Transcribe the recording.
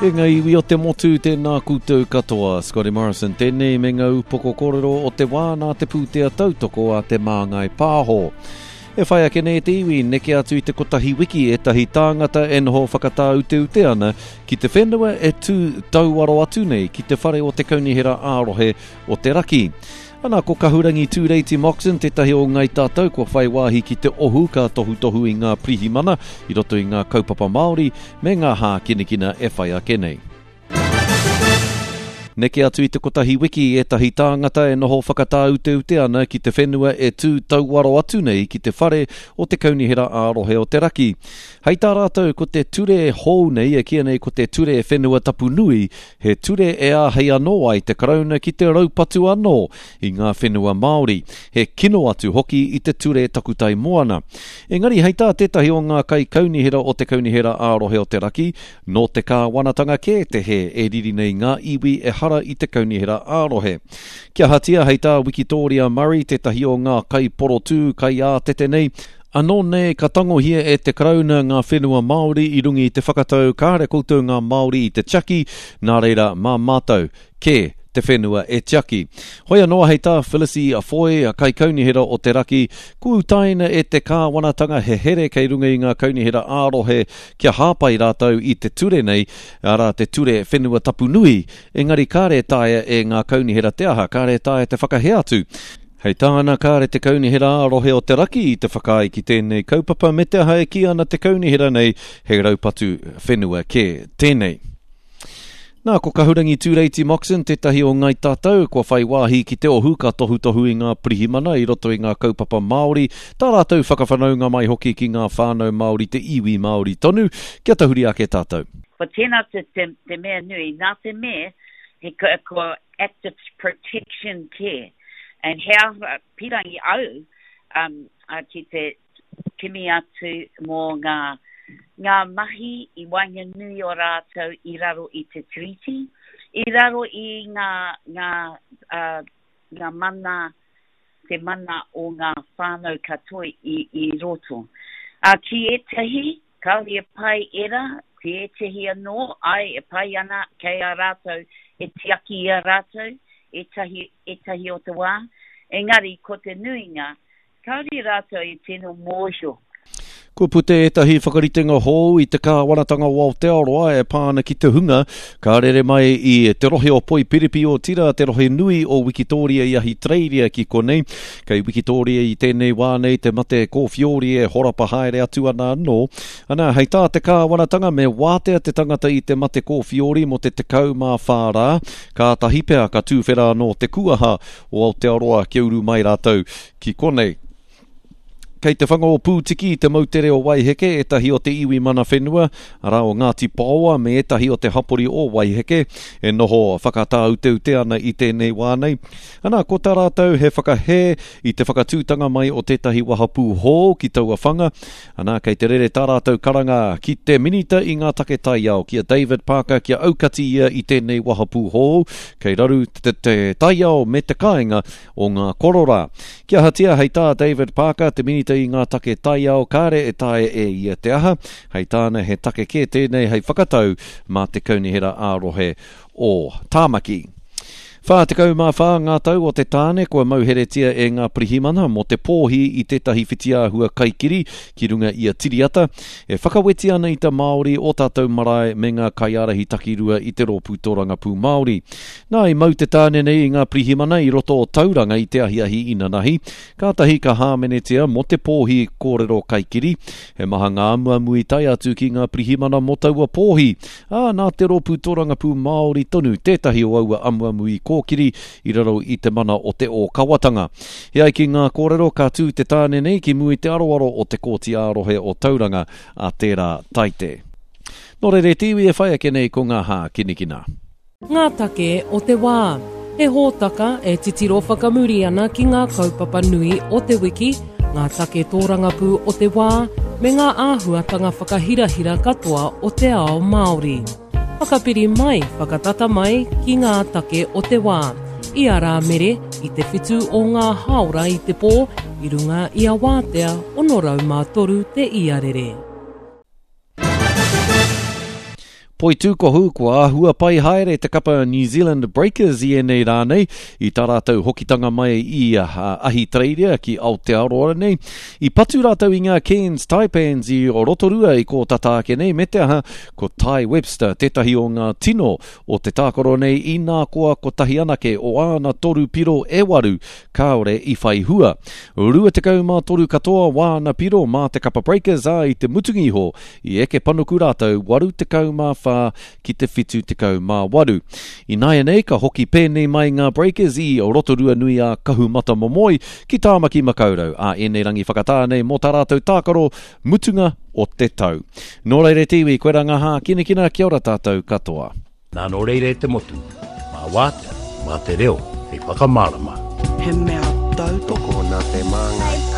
E ngā iwi o te motu, tēnā koutou katoa. Scotty Morrison tēnei me ngā upoko kōrero o te wā nā te pūtea tautoko a Te Māngai Pāho. E whai ake nei te iwi, neke atu i te kotahi wiki ētahi tāngata e noho whakatāuteute ana ki te whenua e tū tauaro atu nei ki te whare o te Kaunihera ā-rohe o te Raki. Ana, ko Kahurangi Tūreiti Moxon tētahi o Ngai Tātou kua whai wāhi ki te ohu ka tohutohu i ngā pirihimana i roto i ngā kaupapa Māori me ngā hākinakina e whai ake nei. Neke atu i te kotahi wiki ētahi tāngata e noho whakatāuteute ana ki te whenua e tū tauaro atu nei ki te whare o te Kaunihera ā-Rohe o te Raki. Hei tā rātou ko te ture hou nei e kīia nei ko te Ture Whenua Tapu Nui, he ture e āhei anō ai te Karauna ki te raupatu anō i ngā whenua Māori, he kino atu hoki i te ture takutai moana. Engari hei tā tētahi o ngā kaikaunihera o te Kaunihera ā-Rohe o te Raki, Nō te kāwanatanga kē te hē e riri nei ngā iwi ehara i te kaunihera ā-rohe. Kia ahatia hei tā Wikitōria Murray tētahi o ngā kaiporotū kaiātete nei, anō nei ka tangohia e te Karauna ngā whenua Māori i runga i te whakatau kāre koutou ngā Māori i te tiaki, nā reira mā mātou kē te whenua e tiaki. Hoi anō hei tā Phyllis Foy, Kaikaunihera o te Raki, kua utaina e te kāwanatanga he here kei runga i ngā kaunihera ā-rohe kia hāpai rātou i te ture nei, arā te Ture Whenua Tapu Nui, engari kāre e taea e ngā kaunihera te aha, kāre e taea te whakahē atu. Hei tāna, kāre te Kaunihera ā-rohe o te Raki i te whakaae ki tēnei kaupapa me te aha e kī ana te kaunihera nei he raupatu whenua kē tēnei. Nā, ko Kahurangi Tūreiti Moxon tētahi o Ngai Tātou kua whai wāhi ki te ohu ka tohutohu i ngā pirihimana i roto i ngā kaupapa Māori, tā rātou whakawhanaunga mai hoki ki ngā whānau Māori te iwi Māori tonu, kia tahuri ake tātou. Ko tēnā te, te, te mea nui, nā te mea he ko active protection kē, and he aha pirangi au um, ki te kimi atu mō ngā, ngā mahi i waenganui o rātou i raro i te Tiriti, i raro i ngā, ngā, uh, ngā mana, te mana o ngā whānau katoa i, i roto. Uh, ki ētahi, kāore e pai ērā, ki ētahi anō, āe, e pai ana, kei a rātou, e tiaki i a rātou, ētahi, ētahi o te wā. Engari, ko te nuinga, Kāore rātou i tino mōhio. Kua puta ētahi whakaritenga hou i te kāwanatanga o Aotearoa e pā ana ki te hunga ka rere mai i te rohe o Poipiripi, otirā te rohe nui o Wikitōria i Ahitereiria ki konei. Kei Wikitōria i tēnei wā nei te mate kōwhiori e horapa haere atu ana anō. Ana, hei tā te kāwanatanga me wātea te tangata i te mate kōwhiori mō te 14 rā, kātahi pea ka tūwhera anō te kuaha o Aotearoa kia uru mai rātou ki konei. Kei te whanga o Pūtiki i te moutere o Waiheke ētahi o te iwi mana whenua, arā o Ngāti Paoa me ētahi o te hapori o Waiheke e noho whakatāuteute ana i tēnei wā nei. Ana, ko tā rātou he whakahē i te whakatūtanga mai o tētahi wahapū hou ki taua whanga, ana, kei te rere tā rātou karanga ki te Minita i ngā take taiao, ki a David Parker kia aukati ia i tēnei wahapū hou, kei raru te, te taiao me te kāinga o ngā kororā. Kia ahatia, hei tā David Parker, te Minita i ngā take taiao, kāre e taea e ia te aha, hei tāna he take kē tēnei hei whakatau mā te Kaunihera ā-rohe o Tāmaki. 44 ngā tau o te tāne kua mauheretia e ngā pirihimana mō te pōhi i tētahi whitiāhua kaikiri ki runga i a Tiriata, e whakaweti ana i te Māori o tātou marae me ngā kaiārahi takirua i te Rōpū Tōrangapū Māori. Nā, i mau te tāne nei i ngā pirihimana i roto o Tauranga i te ahiahi inanahi, kātahi ka hāmenetia mō te pōhi kōrero kaikiri. He maha ngā amuamu i tae atu ki ngā pirihimana mō taua pōhi, ā, nā te Rōpū Tōrangapū Māori tonu tētahi o aua amuamu i kōkiri i raro i te mana o te ōkawatanga. E ai ki ngā kōrero, ka tū te tāne nei ki mua i te aroaro o te Kōti ā-Rohe o Tauranga a tērā Taite. Nō reira e te iwi e whai ake nei ko ngā hākinakina. Ngā take o te wā. He hōtaka e titiro whakamuri ana ki ngā kaupapa nui o te wiki, ngā take tōrangapū o te wā, me ngā āhuatanga whakahirahira katoa o te ao Māori. Whakapiri mai, whakatata mai ki ngā take o te wā. I a Rāmere, i te whitu o ngā hāora i te pō, i runga i a Wātea 603 te iarere. Poitūkohu, kua āhua pai haere te kapa New Zealand Breakers i ēnei rā nei, i tā rātou hokitanga mai i Ahitereiria ki Aotearoa nei. I patu rātou i ngā Cairns Taipans i Rotorua i kō tata ake nei, me te aha, ko Tai Webster tētahi o ngā tino o te tākaro nei inā koa kotahi anake o āna toru piro e waru kāore i whai hua. 23 katoa wāna piro mā te kapa Breakers, ā, i te mutunga iho i eke panuku rātou 84 ki te 78. Ināianei ka hoki pēnei mai ngā Breakers i Rotorua nui a Kahumatamomoe ki Tāmaki Makaurau ā ēnei rangi whakatā nei mō tā rātou tākaro mutunga o te tau. Nō reira e te iwi, koirā ngā hākinakina, kia ora tātou katoa. Nā nō reira e te motu, mā wātea, mā te reo hei whakamārama. He mea tautoko nā te Māngai.